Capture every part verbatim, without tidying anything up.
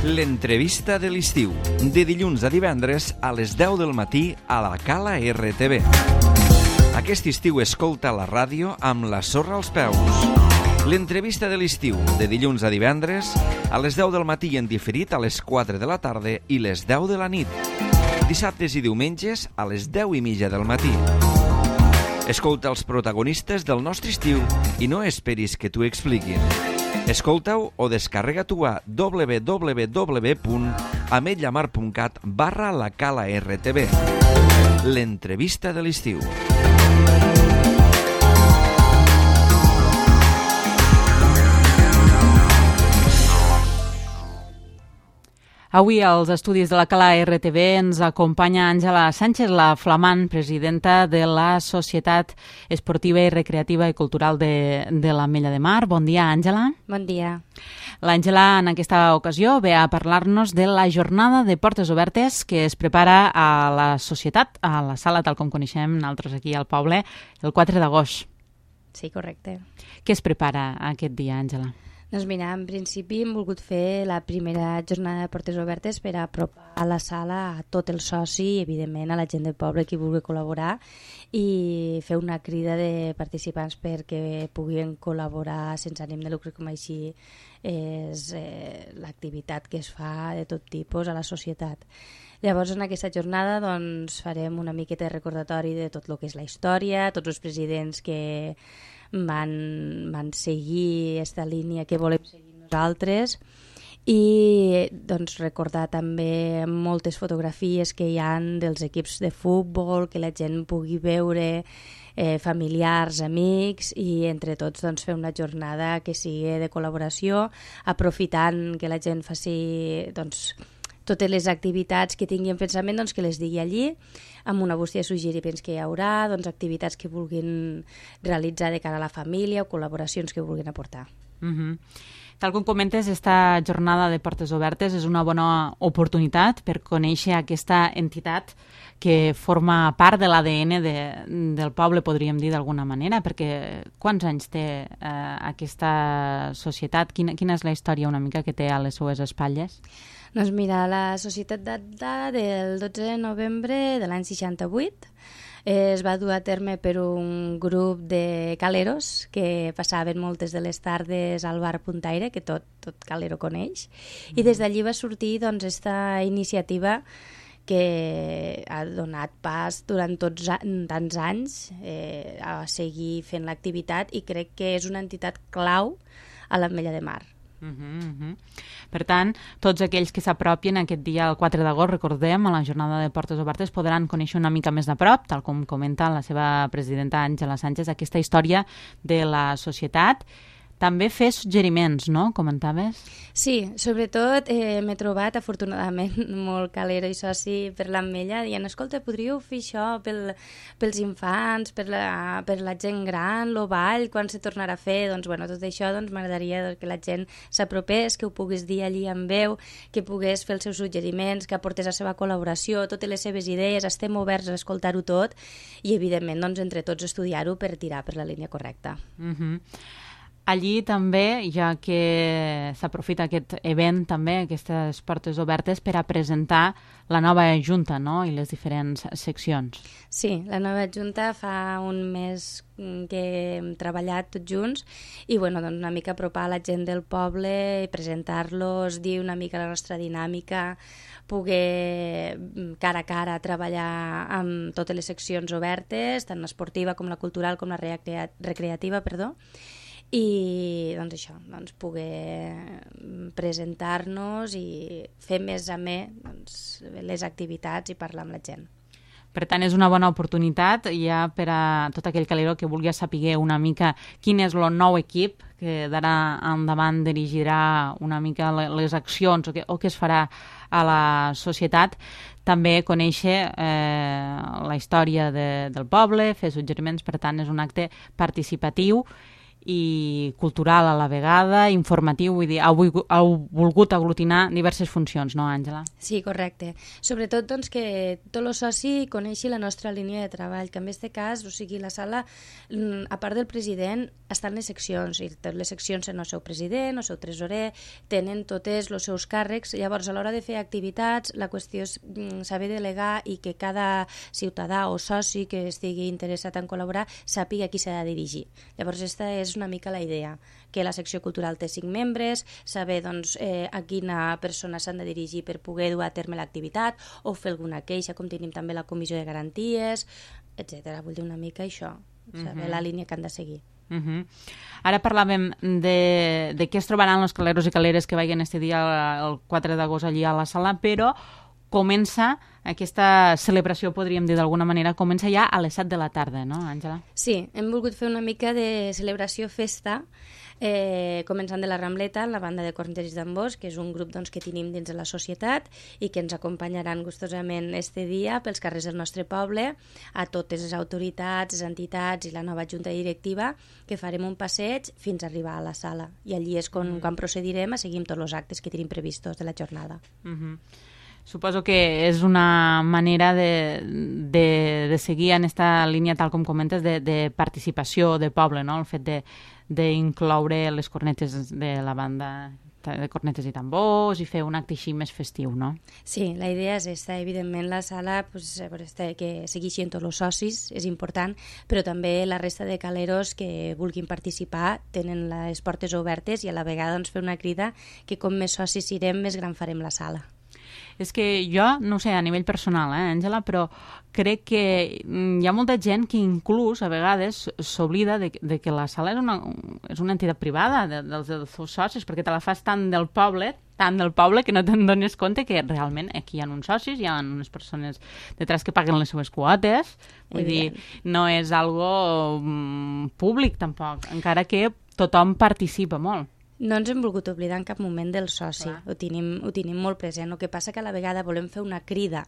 L'entrevista de l'estiu, de dilluns a divendres a les deu del matí a la Cala R T V. Aquest estiu escolta la ràdio amb la sorra als peus. L'entrevista de l'estiu, de dilluns a divendres a les deu del matí i en diferit a les quatre de la tarda i les deu de la nit. Dissabtes i diumenges a les deu i mitja del matí. Escolta els protagonistes del nostre estiu i no esperis que t'ho expliquin. Escolta-ho o descarrega-t'ho a w w w punt ametlla mar punt cat barra la Cala R T V. L'entrevista de l'estiu. Avui als estudis de la Cala R T V ens acompanya Àngela Sánchez, la flamant presidenta de la Societat Esportiva i Recreativa i Cultural de, de l'Ametlla de Mar. Bon dia, Àngela. Bon dia. L'Àngela en aquesta ocasió ve a parlar-nos de la jornada de portes obertes que es prepara a la Societat, a la sala tal com coneixem nosaltres aquí al poble, el quatre d'agost. Sí, correcte. Què es prepara aquest dia, Àngela? Doncs mira, en principi hem volgut fer la primera jornada de portes obertes per apropar a la sala a tot el soci i, evidentment, a la gent del poble que vulgui col·laborar i fer una crida de participants perquè puguin col·laborar sense ànim de lucre, com així és eh, l'activitat que es fa de tot tipus a la societat. Llavors, en aquesta jornada doncs, farem una miqueta de recordatori de tot el que és la història, tots els presidents que van, van seguir aquesta línia que volem seguir nosaltres i doncs, recordar també moltes fotografies que hi ha dels equips de futbol, que la gent pugui veure, eh, familiars, amics, i entre tots doncs, fer una jornada que sigui de col·laboració, aprofitant que la gent faci doncs, totes les activitats que tingui en pensament, doncs, que les digui allí, amb una bústia de suggeriments que hi haurà, doncs, activitats que vulguin realitzar de cara a la família o col·laboracions que vulguin aportar. Uh-huh. Tal com comentes, esta jornada de portes obertes és una bona oportunitat per conèixer aquesta entitat que forma part de l'A D N de, del poble, podríem dir d'alguna manera, perquè quants anys té eh, aquesta societat? Quina, quina és la història una mica que té a les seues espatlles? Doncs mira, la societat data del dotze de novembre de l'any seixanta-vuit. Es va dur a terme per un grup de caleros que passaven moltes de les tardes al bar Puntaire, que tot, tot calero coneix, i des d'allí va sortir doncs, esta iniciativa que ha donat pas durant tots tants anys eh, a seguir fent l'activitat i crec que és una entitat clau a l'Ametlla de Mar. Uh -huh, uh -huh. Per tant, tots aquells que s'apropien aquest dia, el quatre d'agost, recordem, a la jornada de portes obertes, podran conèixer una mica més de prop, tal com comenta la seva presidenta Àngela Sánchez, aquesta història de la societat. També fer suggeriments, no? Comentaves? Sí, sobretot eh, m'he trobat, afortunadament, molt calero i soci per l'Ametlla, dient, escolta, podríeu fer això pel, pels infants, per la, per la gent gran, lo ball, quan se tornarà a fer? Doncs, bueno, tot això doncs, m'agradaria que la gent s'apropés, que ho puguis dir allí en veu, que pogués fer els seus suggeriments, que aportés la seva col·laboració, totes les seves idees, estem oberts a escoltar-ho tot i, evidentment, doncs, entre tots estudiar-ho per tirar per la línia correcta. Mhm. Uh-huh. Allí també, ja que s'aprofita aquest event, també, aquestes portes obertes, per a presentar la nova junta, no?, i les diferents seccions. Sí, la nova junta fa un mes que hem treballat tots junts i, bueno, doncs una mica apropar a la gent del poble i presentar-los, dir una mica la nostra dinàmica, poder cara a cara treballar amb totes les seccions obertes, tant l'esportiva com la cultural com la recrea- recreativa, perdó, i doncs això, doncs poder presentar-nos i fer més amè doncs, les activitats i parlar amb la gent. Per tant, és una bona oportunitat ja per a tot aquell calero que vulgui saber una mica quin és el nou equip que d'ara endavant dirigirà una mica les accions o que, o que es farà a la societat. També conèixer eh, la història de, del poble, fer suggeriments, per tant, és un acte participatiu i cultural a la vegada, informatiu, vull dir, heu, heu volgut aglutinar diverses funcions, no, Àngela? Sí, correcte. Sobretot doncs, que tot el soci coneixi la nostra línia de treball, que en aquest cas, o sigui, la sala, a part del president, estan les seccions, i totes les seccions tenen el seu president, el seu tresorer, tenen totes els seus càrrecs, llavors a l'hora de fer activitats la qüestió és saber delegar i que cada ciutadà o soci que estigui interessat en col·laborar sàpiga a qui s'ha de dirigir. Llavors aquesta és una mica la idea, que la secció cultural té cinc membres, saber doncs, eh, a quina persona s'han de dirigir per poder dur a terme l'activitat o fer alguna queixa, com tenim també la comissió de garanties, etcètera. Vull dir una mica això, saber uh-huh. la línia que han de seguir. Uh -huh. Ara parlàvem de, de què es trobaran els caleros i caleres que vagin este dia el quatre d'agost allí a la sala, però comença aquesta celebració, podríem dir d'alguna manera, comença ja a les set de la tarda, no, Àngela? Sí, hem volgut fer una mica de celebració festa, eh, començant de la Rambleta, la banda de cornets i tambors, que és un grup doncs, que tenim dins de la societat i que ens acompanyaran gustosament este dia pels carrers del nostre poble, a totes les autoritats, les entitats i la nova junta directiva, que farem un passeig fins a arribar a la sala. I allí és quan, mm. quan procedirem a seguir tots els actes que tenim previstos de la jornada. Mhm. Mm Suposo que és una manera de, de, de seguir en aquesta línia, tal com comentes, de, de participació de poble, no? El fet d'incloure les cornetes de la banda de cornetes i tambors i fer un acte així més festiu, no? Sí, la idea és aquesta. Evidentment, la sala pues, que segueixin tots els socis, és important, però també la resta de caleros que vulguin participar tenen les portes obertes i a la vegada doncs, fer una crida que com més socis sirem, més gran farem la sala. És que jo, no ho sé, a nivell personal, eh, Àngela, però crec que hi ha molta gent que inclús a vegades s'oblida de, de que la sala és una, és una entitat privada de, dels, dels seus socis, perquè te la fas tant del poble, tant del poble que no te'n dones compte que realment aquí hi ha uns socis, hi ha unes persones detrás que paguen les seves quotes, vull dir, no és algo mm, públic tampoc, encara que tothom participa molt. No ens hem volgut oblidar en cap moment del soci, ho tenim, ho tenim molt present. El que passa que a la vegada volem fer una crida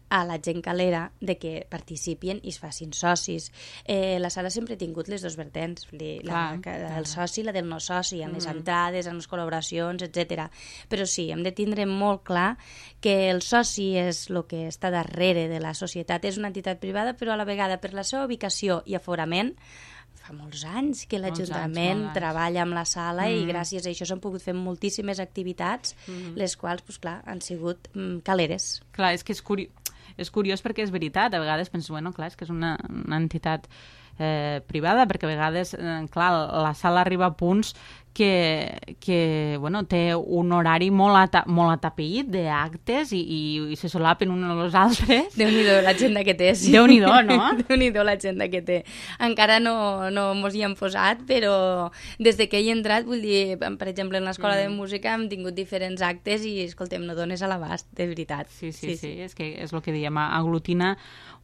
a la gent calera de que participin i es facin socis. Eh, la sala sempre ha tingut les dos vertents, la, la, la del soci i la del no soci, amb mm. les entrades, amb les col·laboracions, etcètera. Però sí, hem de tindre molt clar que el soci és el que està darrere de la societat. És una entitat privada, però a la vegada per la seva ubicació i aforament fa molts anys que l'Ajuntament treballa amb la sala mm. i gràcies a això s'han pogut fer moltíssimes activitats, mm. les quals, pues, clar, han sigut mm, caleres. Clar, és que és, curi és curiós perquè és veritat, a vegades penses, bueno, clar, és que és una, una entitat eh, privada, perquè a vegades, eh, clar, la sala arriba a punts que, que bueno, té un horari molt, ata molt atapeït d'actes i, i, i se solapen uns als altres. Déu-n'hi-do l'agenda que té, sí. Déu-n'hi-do, no? Déu-n'hi-do l'agenda que té. Encara no, no mos hi hem posat, però des de que he entrat, vull dir, per exemple, en l'escola mm. de música hem tingut diferents actes i, escoltem, no dones a l'abast, de veritat. Sí, sí, sí, sí, sí, és que és el que diem, aglutina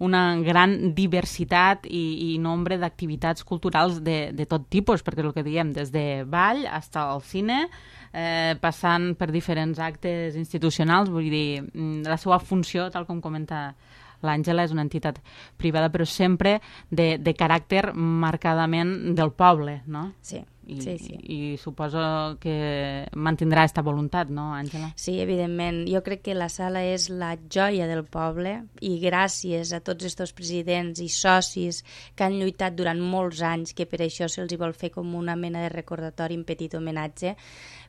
una gran diversitat i, i nombre d'activitats culturals de, de tot tipus, perquè és el que diem, des de ball fins al cine, eh, passant per diferents actes institucionals, vull dir, la seva funció, tal com comenta l'Àngela, és una entitat privada, però sempre de, de caràcter marcadament del poble, no? Sí. I, sí, sí. i suposo que mantindrà aquesta voluntat, no, Àngela? Sí, evidentment. Jo crec que la sala és la joia del poble i gràcies a tots aquests presidents i socis que han lluitat durant molts anys, que per això se'ls vol fer com una mena de recordatori, un petit homenatge,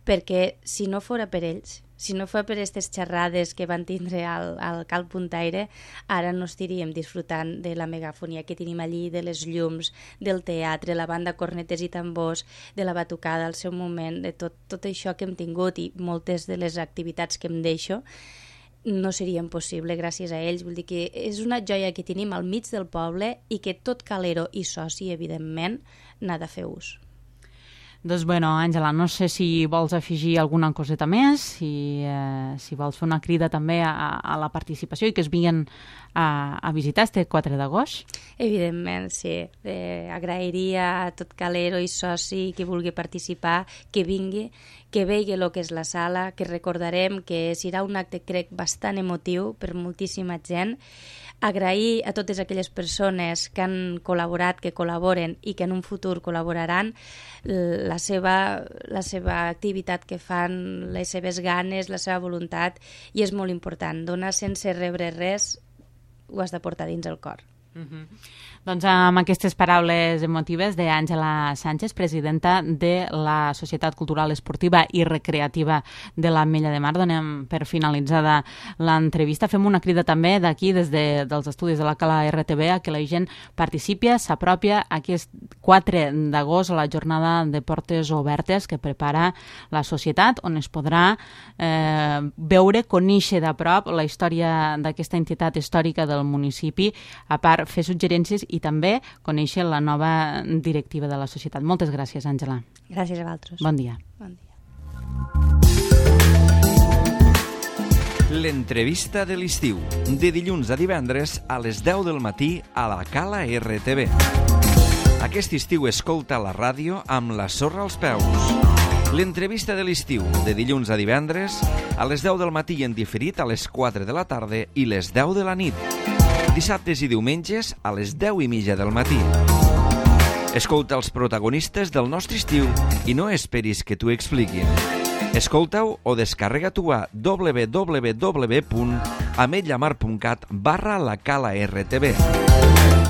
perquè si no fora per ells, si no fos per aquestes xerrades que van tindre al, al Cal Puntaire, ara no estaríem disfrutant de la megafonia que tenim allí, de les llums, del teatre, la banda cornetes i tambors, de la batucada al seu moment, de tot, tot això que hem tingut i moltes de les activitats que em deixo, no serien possible gràcies a ells. Vull dir que és una joia que tenim al mig del poble i que tot calero i soci, evidentment, n'ha de fer ús. Doncs, bueno, Àngela, no sé si vols afegir alguna coseta més, si, eh, si vols fer una crida també a, a la participació i que es vinguin a, a visitar este quatre d'agost. Evidentment, sí. Eh, agrairia a tot calero i soci que vulgui participar, que vingui, que vegi el que és la sala, que recordarem que serà un acte, crec, bastant emotiu per moltíssima gent. agrair a totes aquelles persones que han col·laborat, que col·laboren i que en un futur col·laboraran, la seva, la seva activitat que fan, les seves ganes, la seva voluntat, i és molt important. Donar sense rebre res ho has de portar dins el cor. Uh-huh. Doncs amb aquestes paraules emotives d'Àngela Sánchez, presidenta de la Societat Cultural Esportiva i Recreativa de l'Ametlla de Mar, donem per finalitzada l'entrevista. Fem una crida també d'aquí, des de, dels estudis de la Cala R T V, a que la gent participi, s'apropia aquest quatre d'agost a la jornada de portes obertes que prepara la societat, on es podrà eh, veure, conèixer de prop la història d'aquesta entitat històrica del municipi, a part fer suggerències i també conèixer la nova directiva de la societat. Moltes gràcies, Àngela. Gràcies a vosaltres. Bon dia. Bon dia. L'entrevista de l'estiu, de dilluns a divendres a les deu del matí a la Cala R T V. Aquest estiu escolta la ràdio amb la sorra als peus. L'entrevista de l'estiu, de dilluns a divendres a les deu del matí i en diferit a les quatre de la tarda i les deu de la nit. Dissabtes i diumenges a les deu i mitja del matí. Escolta els protagonistes del nostre estiu i no esperis que t'ho expliquin. Escolta-ho o descarrega-t'ho a w w w punt ametllamar punt cat barra la Cala R T V.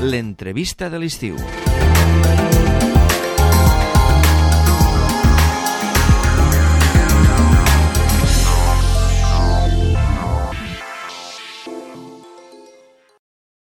L'entrevista de l'estiu.